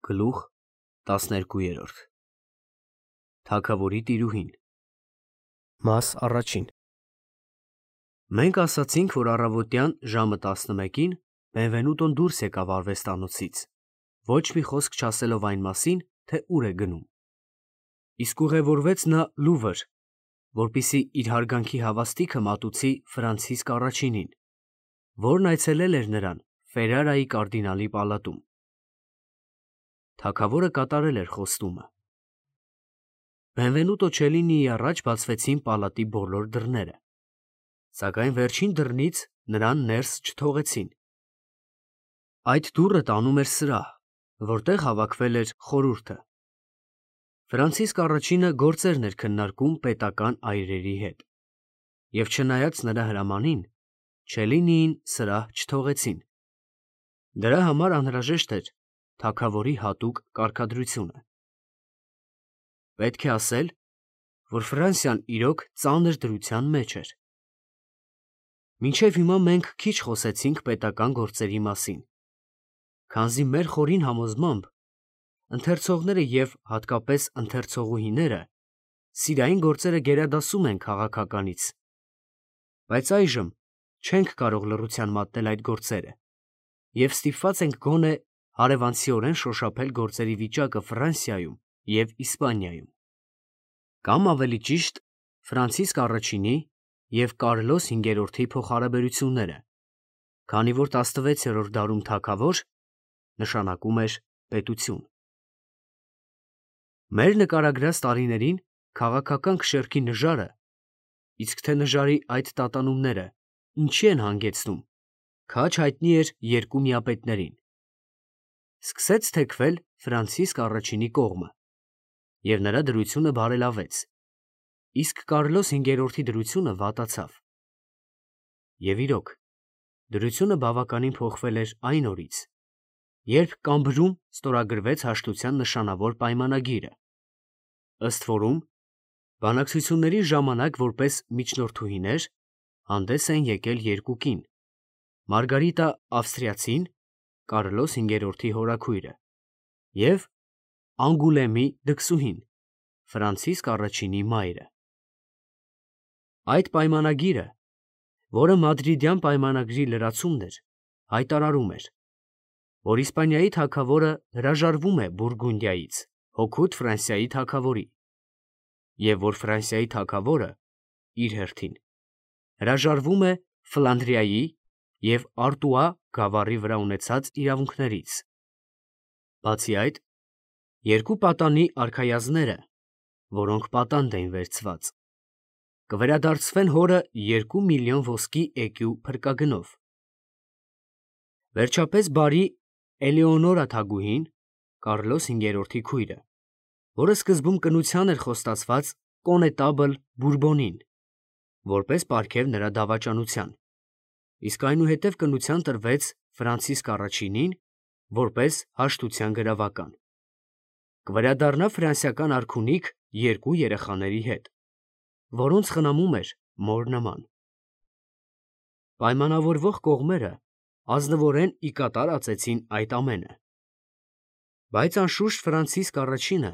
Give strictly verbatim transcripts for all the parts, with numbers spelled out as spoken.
Գլուխ տասներկուերորդ Թագավորի տիրուհին Մաս առաջին Մենք ասացինք, որ առավոտյան ժամը տասնմեկին Բենվենուտոն դուրս եկավ արվեստանոցից, ոչ մի խոսք չասելով այն մասին, թե ուր է գնում։ Իսկ ուղևորվեց նա Լուվր, որպեսզի իր հարգանքի հավաստիքը մատուցի Ֆրանցիսկ առաջինին, որն այցելել էր նրան Ֆերարայի կարդինալի պալատում։ Թագավորը կատարել էր խոստումը։ Բենվենուտո Չելինիի առաջ բացվեցին պալատի բոլոր դռները, սակայն վերջին դռնից նրան ներս չթողեցին։ Այդ դուռը տանում էր սրահ, որտեղ հավաքվել էր խորհուրդը։ Ֆրանցիսկ առաջինը գործերն էր քննարկում պետական այրերի հետ, և չնայած նրա հրամանին, Չելինիին սրահ չթողեցին։ Դրա համար անհրաժեշտ էր թագավորի հատուկ կարգադրությունը։ Պետք է ասել, որ Ֆրանսիան իրոք ծանր դրության մեջ էր։ Մինչև հիմա մենք քիչ խոսեցինք պետական գործերի մասին, քանզի մեր խորին համոզմամբ ընթերցողները և հատկապես ընթերցողուհիները սիրային գործերը գերադասում են քաղաքականից, բայց այժմ չենք կարող լռության մատնել այդ գործերը և ստիպված ենք գոնե հարևանցիորեն շոշափել գործերի վիճակը Ֆրանսիայում և Իսպանիայում, կամ ավելի ճիշտ Ֆրանցիսկ առաջինի և Կարլոս հինգերորդի փոխհարաբերությունները, քանի որ տասնվեցերորդ դարում թագավոր նշանակում էր պետություն։ Մեր նկարագրած տարիներին քաղաքական քշերքի նժարը, իսկ թե նժարի այդ տատանումները ինչի են հանգեցնում, քաջ հայտնի էր երկու միապետներին։ Սկսեց թեքվել Ֆրանցիսկ առաջինի կողմը, և նրա դրությունը բարելավեց, իսկ Կարլոս հինգերորդի դրությունը վատացավ։ Եվ իրոք, դրությունը բավականին փոխվել էր այն օրից, երբ Կամբրում ստորագրվեց հաշտության նշանավոր պայմանագիրը, ըստ որում բանակցությունների ժամանակ որպես միջնորդուհիներ հանդես են եկել երկու կին՝ Մարգարիտա Ավստրիացին, Կարլոս հինգերորդի հորաքույրը, և Անգուլեմի դքսուհին, Ֆրանցիսկ առաջինի մայրը։ Այդ պայմանագիրը, որը Մադրիդյան պայմանագրի լրացումն էր, հայտարարում էր, որ Իսպանիայի թագավորը հրաժարվում է Բուրգունդիայից հօգուտ Ֆրանսիայի թագավորի, և որ Ֆրանսիայի թագավորը, իր հերթին, հրաժարվում է Ֆլանդրիայի և Արտուա գավառի վրա ունեցած իրավունքներից։ Բացի այդ, երկու պատանի արքայազնները, որոնք պատանդ էին վերցված, կվերադարձվեն հորը երկու միլիոն ոսկի էկյու փրկագնով։ Վերջապես բարի Էլեոնորա թագուհին, Կարլոս հինգերորդի քույրը, որը սկզբում կնության էր խոստացված կոնետաբլ Բուրբոնին, որպես պարգև նրա դավաճանության, իսկ այնուհետև կնության տրվեց Ֆրանցիսկ առաջինին, որպես հաշտության գրավական, կվերադառնա ֆրանսիական արքունիք երկու երեխաների հետ, որոնց խնամում էր մոր նման։ Պայմանավորվող կողմերը ազնվորեն ի կատար ածեցին այդ ամենը, բայց անշուշտ Ֆրանցիսկ առաջինը,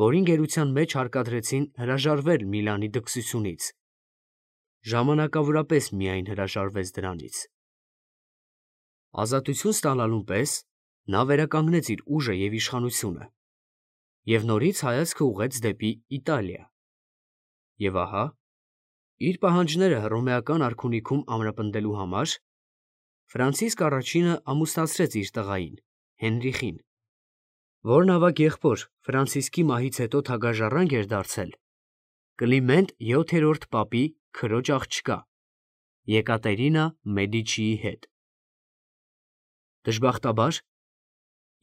որին գերության մեջ հարկադրեցին հրաժարվել Միլանի դքսությունից, ժամանակավորապես միայն հրաժարվեց դրանից։ Ազատություն ստանալուն պես նա վերականգնեց իր ուժը և իշխանությունը և նորից հայացքը ուղղեց դեպի Իտալիա։ Եվ ահա, իր պահանջները հռոմեական արքունիքում ամրապնդելու համար, Ֆրանցիսկ առաջինը ամուսնացրեց իր տղային՝ Հենրիխին, որն ավագ եղբոր Ֆրանցիսկի մահից հետո թագաժառանգ էր դարձել Կլիմենտ յոթերորդ պապի քրոջ աղջկա՝ Եկատերինա Մեդիչիի հետ։ Դժբախտաբար,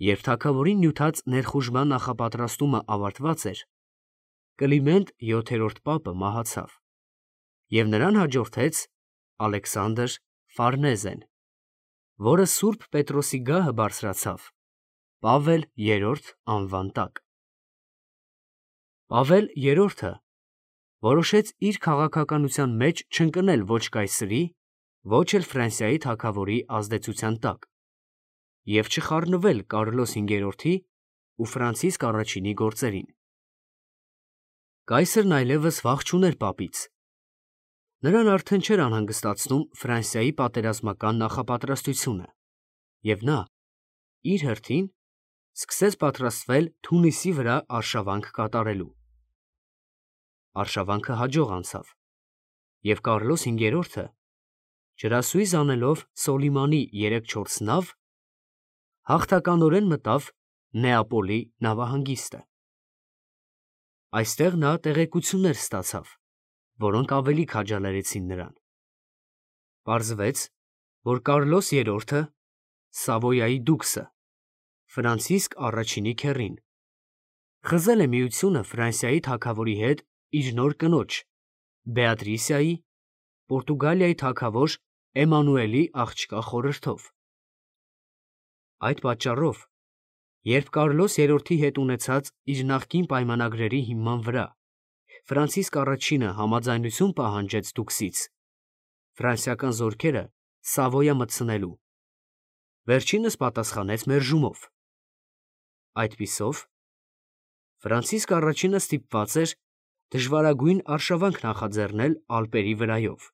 երբ թագավորին նյութած ներխուժման նախապատրաստումը ավարտված էր, Կլիմենտ յոթերորդ պապը մահացավ, և նրան հաջորդեց Ալեքսանդր Ֆարնեզեն, որը Սուրբ Պետրոսի գահը բարձրացավ Պավել երրորդ անվան տակ։ Պավել երրորդը որոշեց իր քաղաքականության մեջ չընկնել ոչ կայսրի, ոչ էլ Ֆրանսիայի թագավորի ազդեցության տակ, և չխառնվել Կարլոս հինգերորդի ու Ֆրանցիսկ առաջինի գործերին։ Կայսրն այլևս վախ չուներ պապից։ Նրան արդեն չէր անհանգստացնում Ֆրանսիայի պատերազմական նախապատրաստությունը, և նա, իր հերթին, սկսեց պատրաստվել Թունիսի վրա արշավանք կատարելու։ Արշավանքը հաջող անցավ, և Կարլոս հինգերորդը, ջրասույզ անելով Սոլիմանի երեք-չորս նավ, հաղթականորեն մտավ Նեապոլի նավահանգիստը։ Այստեղ նա տեղեկություններ ստացավ, որոնք ավելի քաջալերեցին նրան։ Պարզվեց, որ Կարլոս երրորդը, Սավոյայի դուքսը, Ֆրանցիսկ առաջինի քեռին, խզել է միությունը Ֆրանսիայի թագավորի հետ իր նոր կնոջ՝ Բեատրիսիայի, Պորտուգալիայի թագավոր Էմանուելի աղջկա խորհրդով։ Այդ պատճառով, երբ Կարլոս երրորդի հետ ունեցած իր նախկին պայմանագրերի հիման վրա Ֆրանցիսկ առաջինը համաձայնություն պահանջեց դուքսից ֆրանսիական զորքերը Սավոյա մտցնելու, վերջինս պատասխանեց մերժումով։ Այդպիսով, Ֆրանցիսկ առաջինը ստիպված էր դժվարագույն արշավանք նախաձեռնել Ալպերի վրայով,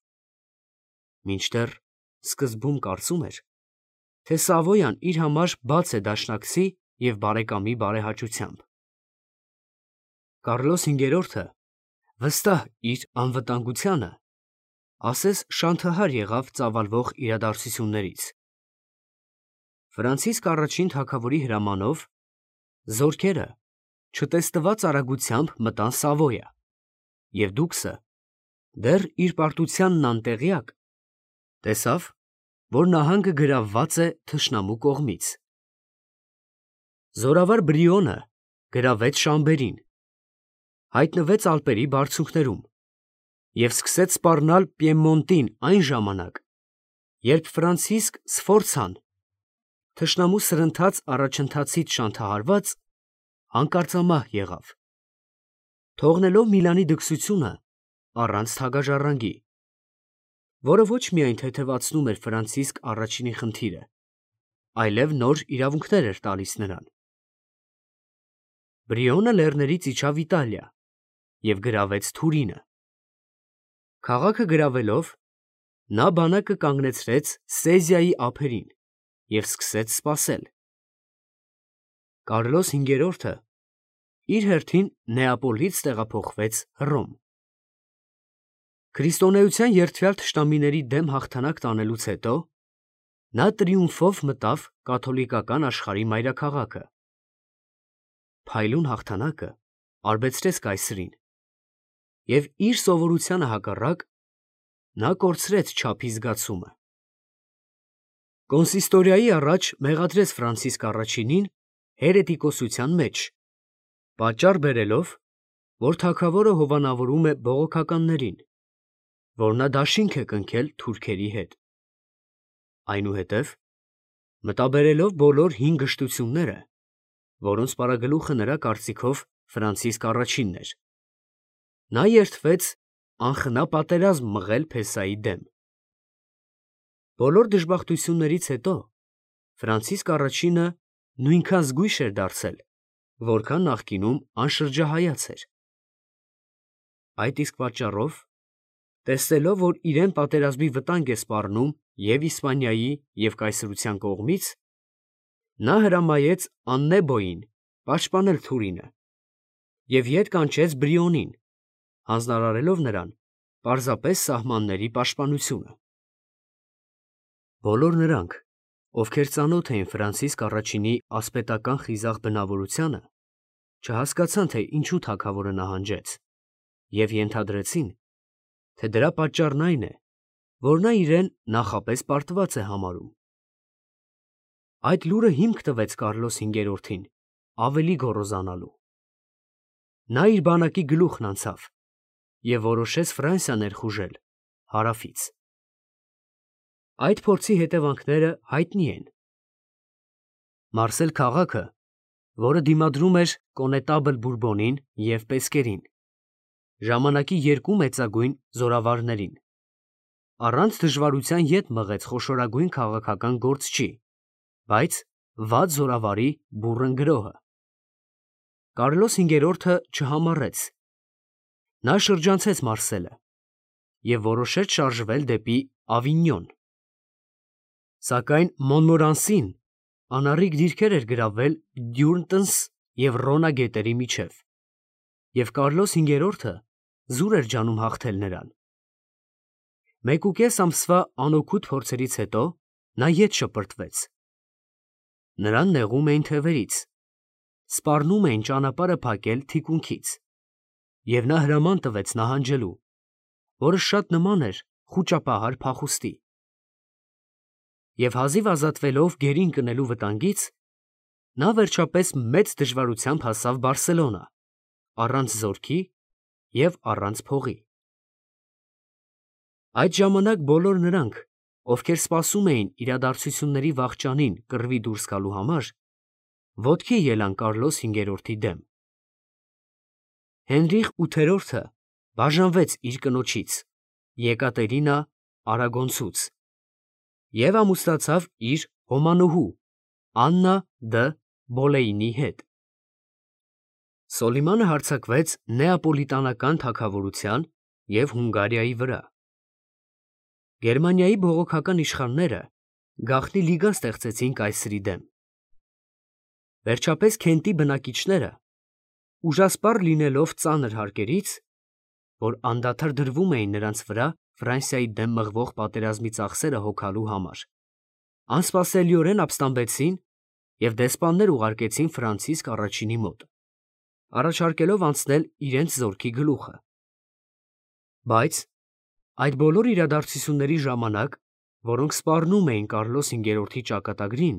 մինչդեռ սկզբում կարծում էր, թե Սավոյան իր համար բաց է դաշնակցի և բարեկամի բարեհաճությամբ։ Կարլոս հինգերորդը, վստահ իր անվտանգությանը, ասես շանթահար եղավ ծավալվող իրադարձություններից։ Ֆրանցիսկ առաջին թագավորի հրամանով զորքերը չտեսնված արագությամբ մտան Սավոյա, և դուքսը, դեռ իր պարտությանն անտեղյակ, տեսավ, որ նահանգը գրավված է թշնամու կողմից։ Զորավար Բրիոնը գրավեց Շամբերին, հայտնվեց Ալպերի բարձունքներում և սկսեց սպառնալ Պիեմոնտին այն ժամանակ, երբ Ֆրանցիսկ Սֆորցան, թշնամու սրընթաց առաջընթացից շանթահարված, հանկարծամահ եղավ, թողնելով Միլանի դքսությունը առանց թագաժառանգի, որը ոչ միայն թեթևացնում էր Ֆրանցիսկ առաջինի խնդիրը, այլև նոր իրավունքներ էր տալիս նրան։ Բրիոնը լեռներից իջավ Իտալիա և գրավեց Թուրինը։ Քաղաքը գրավելով, նա բանակը կանգնեցրեց Սեզիայի ափերին և սկսեց սպասել։ Կարլոս հինգերորդը իր հերթին Նեապոլից տեղափոխվեց Հռոմ։ Քրիստոնեության երդվյալ թշնամիների դեմ հաղթանակ տանելուց հետո նա տրիումֆով մտավ կաթոլիկական աշխարհի մայրաքաղաքը։ Փայլուն հաղթանակը արբեցրեց կայսրին, և իր սովորությանը հակառակ, նա կորցրեց չափի զգացումը։ Կոնսիստորիայի առաջ մեղադրեց Ֆրանցիսկ առաջինին հերետիկոսության մեջ, պատճառ բերելով, որ թագավորը հովանավորում է բողոքականներին, որ նա դաշինք է կնքել թուրքերի հետ։ Այնուհետև մտաբերելով բոլոր հին գժտությունները, որոնց պարագլուխը նրա կարծիքով Ֆրանցիսկ առաջինն էր, նա երդվեց անխնա պատերազմ մղել փեսայի դեմ։ Բոլոր դժբախտություններից հետո Ֆրանցիսկ առաջինը նույնքան զգույշ էր դարձել, որքան նախկինում անշրջահայաց էր։ Այդ իսկ պատճառով, տեսնելով, որ իրեն պատերազմի վտանգ է սպառնում և Իսպանիայի, և կայսրության կողմից, նա հրամայեց Աննեբոյին պաշտպանել Թուրինը և ետ կանչեց Բրիոնին, հանձնարարելով նրան պարզապես սահմանների պաշտպանությունը։ Բոլոր նրանք, ովքեր ծանոթ էին Ֆրանցիսկ առաջինի ասպետական խիզախ բնավորությանը, չհասկացան, թե ինչու թագավորը նահանջեց, և ենթադրեցին, թե դրա պատճառն այն է, որ նա իրեն նախապես պարտված է համարում։ Այդ լուրը հիմք տվեց Կարլոս հինգերորդին ավելի գոռոզանալու։ Նա իր բանակի գլուխն անցավ և որոշեց Ֆրանսիա ներխուժել հարավից։ Այդ փորձի հետևանքները հայտնի են։ Մարսել քաղաքը, որը դիմադրում էր կոնետաբլ Բուրբոնին և Պեսկերին, ժամանակի երկու մեծագույն զորավարներին, առանց դժվարության ետ մղեց խոշորագույն քաղաքական գործչի, բայց վատ զորավարի բուռն գրոհը։ Կարլոս հինգերորդը չհամառեց։ Նա շրջանցեց Մարսելը և որոշեց շարժվել դեպի Ավինյոն։ Սակայն Մոնմորանսին անառիկ դիրքեր էր գրավել Դյուրնտընս և Ռոնա գետերի միջև, և Կարլոս հինգերորդը զուր էր ջանում հաղթել նրան։ Մեկուկես ամսվա անօգուտ փորձերից հետո նա ետ շպրտվեց։ Նրան նեղում էին թևերից, սպառնում էին ճանապարհը փակել թիկունքից, և նա հրաման տվեց նահանջելու, որը շատ նման էր խուճապահար փախուստի։ Եվ հազիվ ազատվելով գերին ընկնելու վտանգից, նա վերջապես մեծ դժվարությամբ հասավ Բարսելոնա, առանց զորքի և առանց փողի։ Այդ ժամանակ բոլոր նրանք, ովքեր սպասում էին իրադարձությունների վախճանին կռվի դուրս գալու համար, ոտքի ելան Կարլոս հինգերորդի դեմ։ Հենրիխ ութերորդը բաժանվեց իր կնոջից՝ Եկատերինա Արագոնցուց և ամուսնացավ իր հոմանուհու Աննա դը Բոլեյնի հետ։ Սոլիմանը հարձակվեց Նեապոլիտանական թագավորության և Հունգարիայի վրա։ Գերմանիայի բողոքական իշխանները գաղտնի լիգա ստեղծեցին կայսրի դեմ։ Վերջապես Քենտի բնակիչները, ուժասպառ լինելով ծանր հարկերից, որ անդադար դրվում էին նրանց վրա Ֆրանսիայի դեմ մղվող պատերազմի ծախսերը հոգալու համար, անսպասելիորեն ապստամբեցին և դեսպաններ ուղարկեցին Ֆրանցիսկ առաջինի մոտ, առաջարկելով անցնել իրենց զորքի գլուխը։ Բայց այդ բոլոր իրադարձությունների ժամանակ, որոնք սպառնում էին Կարլոս հինգերորդի ճակատագրին,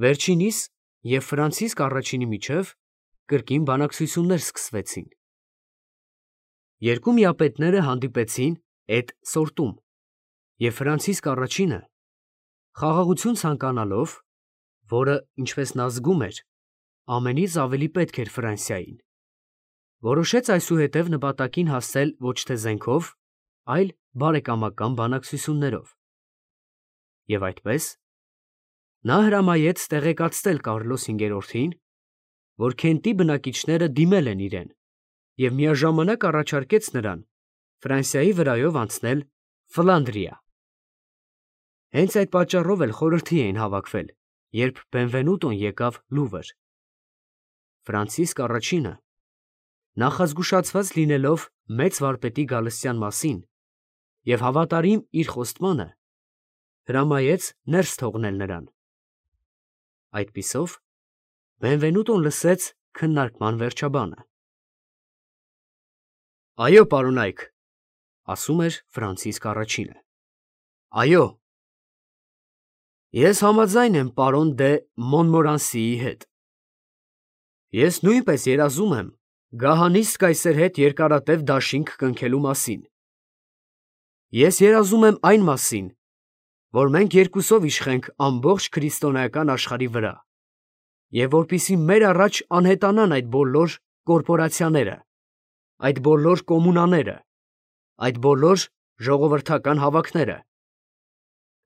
վերջինիս և Ֆրանցիսկ առաջինի միջև կրկին բանակցություններ սկսվեցին։ Երկու միապետները հանդիպեցին Էդ Սորտում, և Ֆրանցիսկ առաջինը, խաղաղություն ցանկանալով, որը, ինչպես նա զգում էր, ամենից ավելի պետք էր Ֆրանսիային, որոշեց այսուհետև նպատակին հասնել ոչ թե զենքով, այլ բարեկամական բանակցություններով։ Եվ այդպես, նա հրամայեց տեղեկացնել Կարլոս հինգերորդին, որ Քենտի բնակիչները դիմել են իրեն, և միաժամանակ առաջարկեց նրան Ֆրանսիայի վրայով անցնել Ֆլանդրիա։ Հենց այդ պատճառով էլ խորհրդի էին հավաքվել, երբ Բենվենուտոն եկավ Լուվր։ Ֆրանցիսկ առաջինը, նախազգուշացված լինելով մեծ վարպետի գալստյան մասին և հավատարիմ իր խոստմանը, հրամայեց ներս թողնել նրան։ Այդպիսով Բենվենուտոն լսեց քննարկման վերջաբանը։ «Այո, պարոնայք», ասում էր Ֆրանցիսկ առաջինը, «այո, ես համաձայն եմ պարոն դե Մոնմորանսիի հետ։ Ես նույնպես երազում եմ գահանիստ կայսեր հետ երկարատև դաշինք կնքելու մասին։ Ես երազում եմ այն մասին, որ մենք երկուսով իշխենք ամբողջ քրիստոնեական աշխարհի վրա, և որպեսզի մեր առաջ անհետանան այդ բոլոր կորպորացիաները, այդ բոլոր կոմունաները, այդ բոլոր ժողովրդական հավաքները,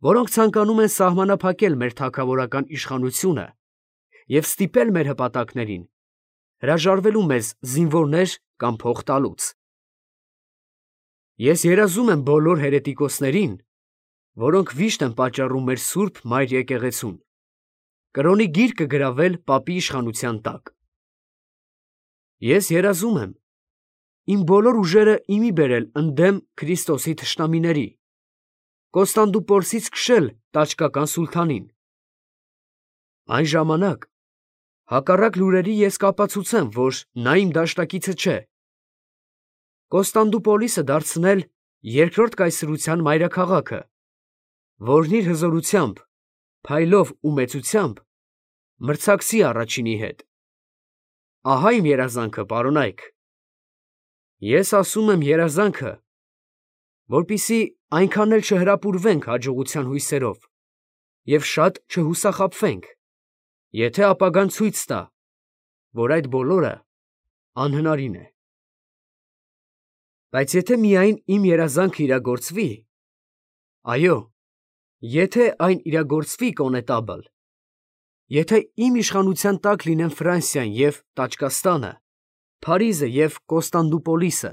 որոնք ցանկանում են սահմանափակել մեր թագավորական իշխանությունը և ստիպել մեր հպատակներին հրաժարվելու մեզ զինվորներ կամ փող տալուց։ Ես երազում եմ բոլոր հերետիկոսներին, որոնք վիշտ են պատճառում մեր սուրբ մայր եկեղեցուն, կրոնի գիրկը գրավել պապի իշխանության տակ։ Ես երազում եմ իմ բոլոր ուժերը ի մի բերել ընդդեմ Քրիստոսի թշնամիների, Կոստանդնուպոլսից քշել տաճկական սուլթանին։ Այն ժամանակ, հակառակ լուրերի, ես կապացուցեմ, որ նա իմ դաշնակիցը չէ, Կոստանդնուպոլիսը դարձնել երկրորդ կայսրության մայրաքաղաքը, որն իր հզորությամբ, փայլով ու մեծությամբ մրցակցի առաջինի հետ։ Ահա իմ երազանքը, պարոնայք։ Ես ասում եմ երազանքը, որպեսզի այնքան էլ չհրապուրվենք հաջողության հույսերով և շատ չհուսախաբվենք, եթե ապագան ցույց տա, որ այդ բոլորը անհնարին է։ Բայց եթե միայն իմ երազանքը իրագործվի, այո, եթե այն իրագործվի կոնետաբլ, Եթե իմ իշխանության տակ լինեն Ֆրանսիան և Տաճկաստանը, Փարիզը և Կոստանդնուպոլիսը,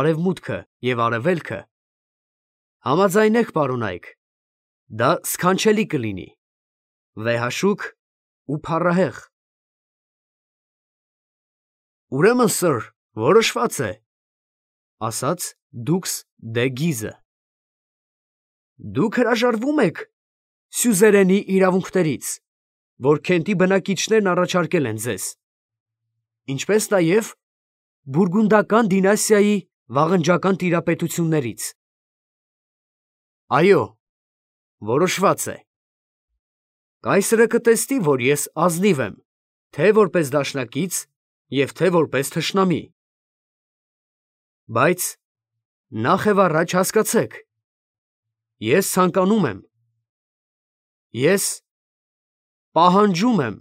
Արևմուտքը և Արևելքը, համաձայնեք, պարոն Այք, դա սքանչելի կլինի, վեհաշուք ու փառահեղ։ Ուրեմն, սըր, որոշված է, ասաց դուքս դե Գիզը։ Դուք հրաժարվում եք սյուզերենի իրավունքներից, որ Քենտի բնակիչներն առաջարկել են ձեզ, ինչպես նաև բուրգունդական դինաստիայի վաղնջական տիրապետություններից։ Այո, որոշված է։ Կայսրը կտեսնի, որ ես ազնիվ եմ, թե որպես դաշնակից և թե որպես թշնամի։ Բայց նախ և առաջ հասկացեք, ես ցանկանում եմ, ես պահանջում եմ,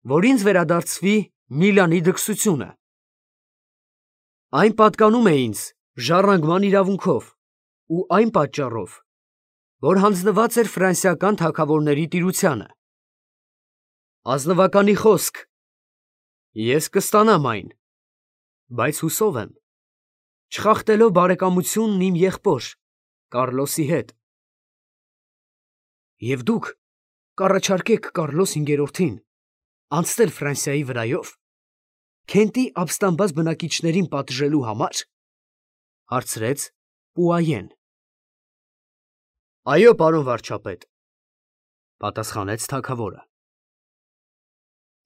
որ ինձ վերադարձվի Միլանի դքսությունը։ Այն պատկանում է ինձ ժառանգման իրավունքով ու այն պատճառով, որ հանձնված էր ֆրանսիական թագավորների տիրությանը։ Ազնվականի խոսք, ես կստանամ այն, բայց հուսով եմ, չխախտելով բարեկամությունն իմ եղբոր Կառլոսի հետ։ Եվ դուք կառաջարկեք Կարլոս հինգերորդին անցնել Ֆրանսիայի վրայո՞վ, Քենտի ապստամբած բնակիչներին պատժելու համար, հարցրեց Պուայեն։ Այո, պարոն վարչապետ, պատասխանեց թագավորը։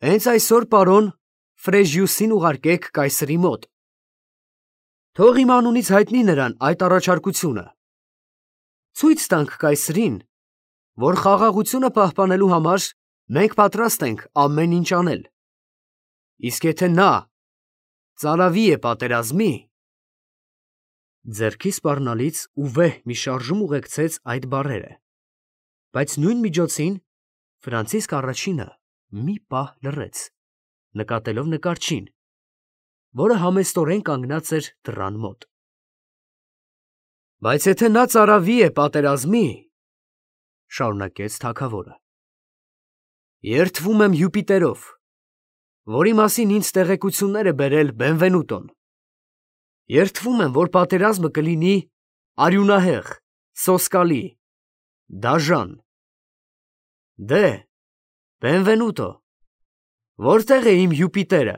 Հենց այսօր, պարոն, Ֆրեժիուսին ուղարկեք կայսրի մոտ, թող իմ անունից հայտնի նրան այդ առաջարկությունը, ցույց տանք կայսրին, որ խաղաղությունը պահպանելու համար մենք պատրաստ ենք ամեն ինչ անել, իսկ եթե նա ծարավի է պատերազմի… Ձեռքի սպառնալից ու վեհ մի շարժում ուղեկցեց այդ բառերը, բայց նույն միջոցին Ֆրանցիսկ առաջինը մի պահ լռեց, նկատելով նկարչին, որը համեստորեն կանգնած էր դռան մոտ։ Բայց եթե նա ծարավի է պատերազմի, շարունակեց թագավորը, երդվում եմ Յուպիտերով, որի մասին ինձ տեղեկություններ է բերել Բենվենուտոն, երդվում եմ, որ պատերազմը կլինի արյունահեղ, սոսկալի, դաժան։ Դե, Բենվենուտո, որտե՞ղ է իմ Յուպիտերը։